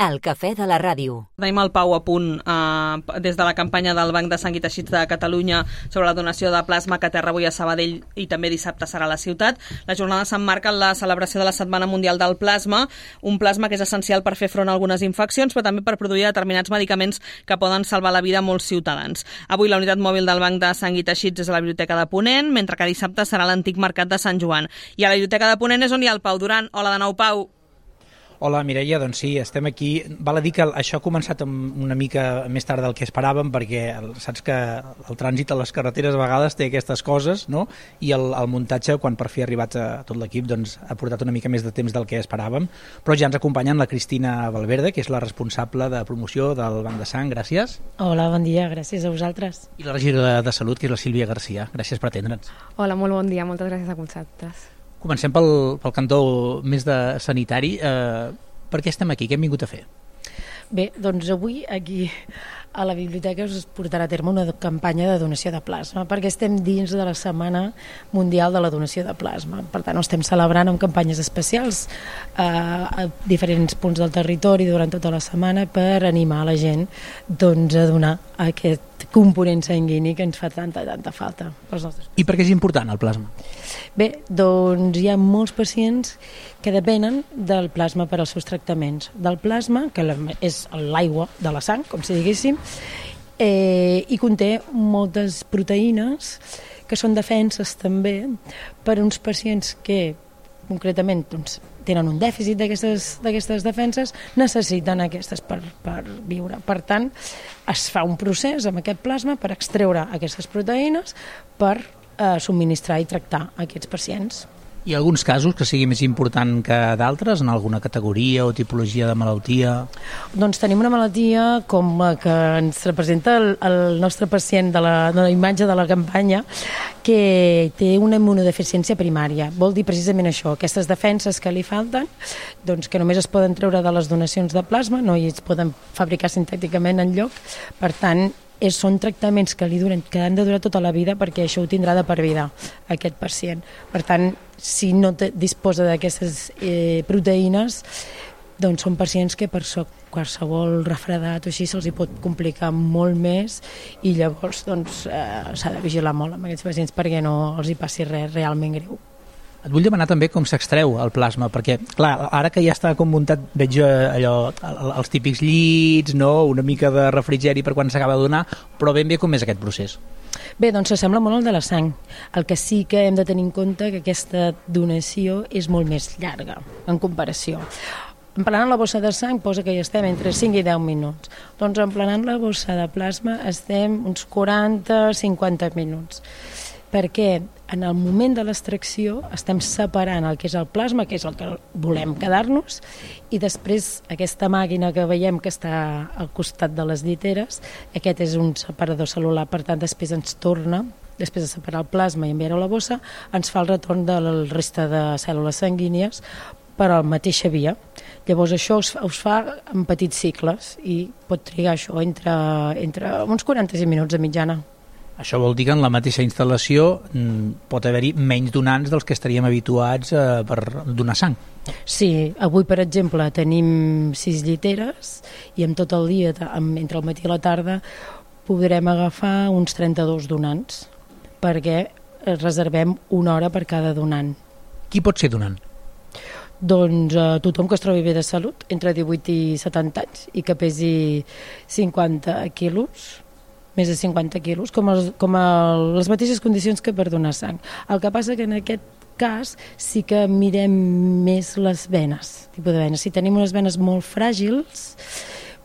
El cafè de la ràdio. Tenim el Pau a punt des de la campanya del Banc de Sang i Teixits de Catalunya sobre la donació de plasma que aterra avui a Sabadell i també dissabte serà a la ciutat. La jornada s'emmarca en la celebració de la Setmana Mundial del Plasma, un plasma que és essencial per fer front a algunes infeccions, però també per produir determinats medicaments que poden salvar la vida a molts ciutadans. Avui la unitat mòbil del Banc de Sang i Teixits és a la Biblioteca de Ponent, mentre que dissabte serà l'antic mercat de Sant Joan. I a la Biblioteca de Ponent és on hi ha el Pau Duran. Hola de nou, Pau. Hola, Mireia, doncs sí, estem aquí. Val a dir que això ha començat una mica més tard del que esperàvem, perquè saps que el trànsit a les carreteres a vegades té aquestes coses, no? I el muntatge, quan per fi ha arribat a tot l'equip, doncs ha portat una mica més de temps del que esperàvem. Però ja ens acompanyen la Cristina Valverde, que és la responsable de promoció del Banc de Sang. Gràcies. Hola, bon dia, gràcies a vosaltres. I la regidora de Salut, que és la Sílvia Garcia. Gràcies per atendre'ns. Hola, molt bon dia, moltes gràcies a vosaltres. Comencem pel cantó més de sanitari. Per què estem aquí? Què hem vingut a fer? Bé, doncs avui aquí a la biblioteca us portarà a terme una campanya de donació de plasma, perquè estem dins de la Setmana Mundial de la Donació de Plasma. Per tant, ho estem celebrant amb campanyes especials a diferents punts del territori durant tota la setmana per animar la gent doncs, a donar aquest component sanguini que ens fa tanta falta pels nostres pacients. I per què és important el plasma? Bé, doncs hi ha molts pacients que depenen del plasma per als seus tractaments. Del plasma, que és l'aigua de la sang, com si diguéssim, i conté moltes proteïnes que són defenses també per a uns pacients que concretament doncs, tenen un dèficit d'aquestes defenses, necessiten aquestes per viure. Per tant, es fa un procés amb aquest plasma per extreure aquestes proteïnes per subministrar i tractar aquests pacients. Hi ha alguns casos que sigui més important que d'altres, en alguna categoria o tipologia de malaltia? Doncs tenim una malaltia com la que ens representa el nostre pacient de la imatge de la campanya, que té una immunodeficiència primària. Vol dir precisament això, aquestes defenses que li falten, doncs que només es poden treure de les donacions de plasma, no hi es poden fabricar sintèticament enlloc, per tant, són tractaments que que han de durar tota la vida perquè això ho tindrà de per vida aquest pacient. Per tant, si no disposa d'aquestes proteïnes, doncs són pacients que per qualsevol refredat o així se'ls hi pot complicar molt més i llavors doncs, s'ha de vigilar molt amb aquests pacients perquè no els hi passi res realment greu. Et vull demanar també com s'extreu el plasma, perquè, clar, ara que ja està com muntat, veig allò, els típics llits, no? Una mica de refrigeri per quan s'acaba de donar, però ben bé com és aquest procés? Bé, doncs s'assembla molt al de la sang. El que sí que hem de tenir en compte que aquesta donació és molt més llarga en comparació. Emplenant la bossa de sang posa que hi estem entre 5 i 10 minuts. Doncs emplenant la bossa de plasma estem uns 40-50 minuts. Perquè en el moment de l'extracció estem separant el que és el plasma, que és el que volem quedar-nos, i després aquesta màquina que veiem que està al costat de les lliteres, aquest és un separador cel·lular, per tant després ens torna, després de separar el plasma i enviar-ho a la bossa, ens fa el retorn de la resta de cèl·lules sanguínies per a la mateixa via. Llavors això us fa en petits cicles i pot trigar això entre uns 45 minuts de mitjana. Això vol dir que en la mateixa instal·lació pot haver-hi menys donants dels que estaríem habituats per donar sang. Sí, avui per exemple tenim 6 lliteres i en tot el dia, entre el matí i la tarda, podrem agafar uns 32 donants perquè reservem una hora per cada donant. Qui pot ser donant? Doncs tothom que es trobi bé de salut, entre 18 i 70 anys i que pesi 50 quilos, més de 50 quilos, com les mateixes condicions que per donar sang. El que passa que en aquest cas sí que mirem més les venes, tipus de venes. Si tenim unes venes molt fràgils,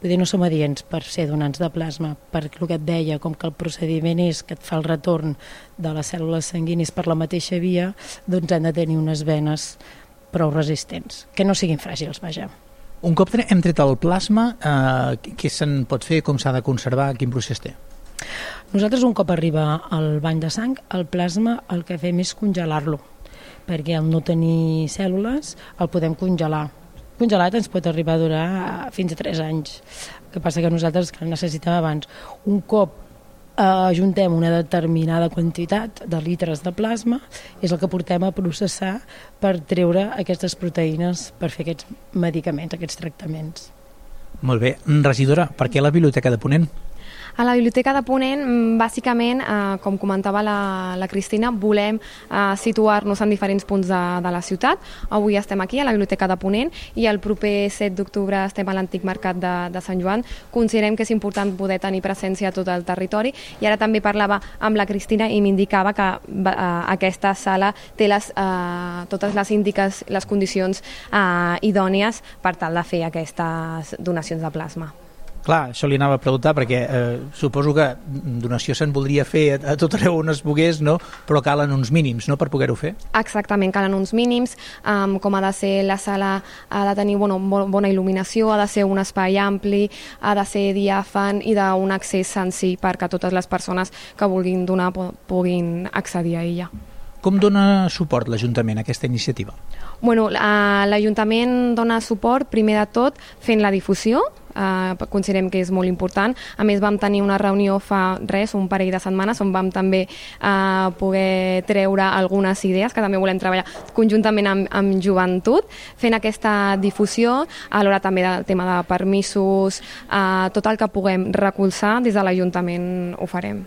vull dir, no som adients per ser donants de plasma, perquè el que et deia, com que el procediment és que et fa el retorn de les cèl·lules sanguínies per la mateixa via, doncs han de tenir unes venes prou resistents, que no siguin fràgils, vaja. Un cop hem tret el plasma, què se'n pot fer, com s'ha de conservar, quin procés té? Nosaltres un cop arriba al banc de sang, el plasma el que fem és congelar-lo, perquè al no tenir cèl·lules el podem congelar. Congelat ens pot arribar a durar fins a 3 anys. El que passa que nosaltres el necessitem abans. Un cop ajuntem una determinada quantitat de litres de plasma, és el que portem a processar per treure aquestes proteïnes per fer aquests medicaments, aquests tractaments. Molt bé. Regidora, per què la Biblioteca de Ponent? A la Biblioteca de Ponent, bàsicament, com comentava la Cristina, volem situar-nos en diferents punts de la ciutat. Avui estem aquí, a la Biblioteca de Ponent, i el proper 7 d'octubre estem a l'antic mercat de Sant Joan. Considerem que és important poder tenir presència a tot el territori, i ara també parlava amb la Cristina i m'indicava que aquesta sala té totes les condicions idònies per tal de fer aquestes donacions de plasma. Clar, això li anava a preguntar perquè suposo que donació se'n voldria fer a tot arreu on es pogués, no? Però calen uns mínims, no?, per poder-ho fer. Exactament, calen uns mínims, com ha de ser la sala, ha de tenir bona il·luminació, ha de ser un espai ampli, ha de ser diàfan i d'un accés senzill perquè totes les persones que vulguin donar puguin accedir a ella. Com dona suport l'Ajuntament a aquesta iniciativa? Bueno, l'Ajuntament dona suport, primer de tot, fent la difusió. Considerem que és molt important. A més, vam tenir una reunió fa un parell de setmanes on vam també poder treure algunes idees que també volem treballar conjuntament amb joventut, fent aquesta difusió, alhora també del tema de permisos, tot el que puguem recolzar des de l'Ajuntament ho farem.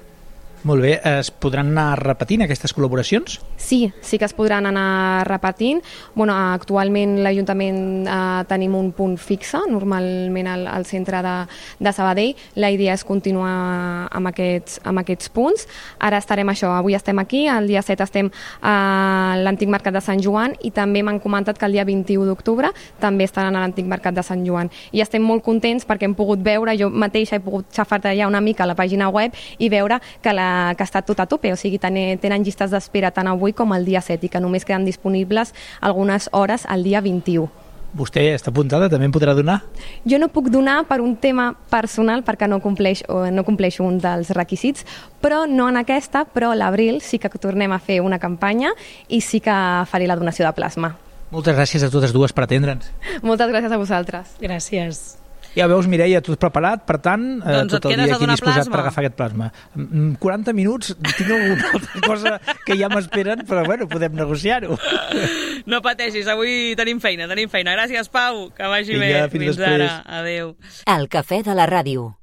Molt bé, es podran anar repetint aquestes col·laboracions? Sí que es podran anar repetint. Bueno, actualment l'Ajuntament tenim un punt fixe, normalment al centre de Sabadell. La idea és continuar amb aquests punts. Ara estarem avui estem aquí, el dia 7 estem a l'antic mercat de Sant Joan, i també m'han comentat que el dia 21 d'octubre també estaran a l'antic mercat de Sant Joan. I estem molt contents perquè hem pogut veure, jo mateixa he pogut xafardejar una mica a la pàgina web i veure que està tot a tope, o sigui, tenen llistes d'espera tant avui com el dia 7 i que només queden disponibles algunes hores el dia 21. Vostè està apuntada? També en podrà donar? Jo no puc donar per un tema personal perquè no compleixo un dels requisits, però no en aquesta, però a l'abril sí que tornem a fer una campanya i sí que faré la donació de plasma. Moltes gràcies a totes dues per atendre'ns. Moltes gràcies a vosaltres. Gràcies. Ja veus, Mireia, tot preparat, per tant, doncs tot el dia aquí disposat per agafar aquest plasma. 40 minuts, tinc alguna altra cosa que ja m'esperen, però bueno, podem negociar-ho. No pateixis, avui tenim feina. Gràcies, Pau, que vagi bé. Fins després. Ara, adéu. El cafè de la ràdio.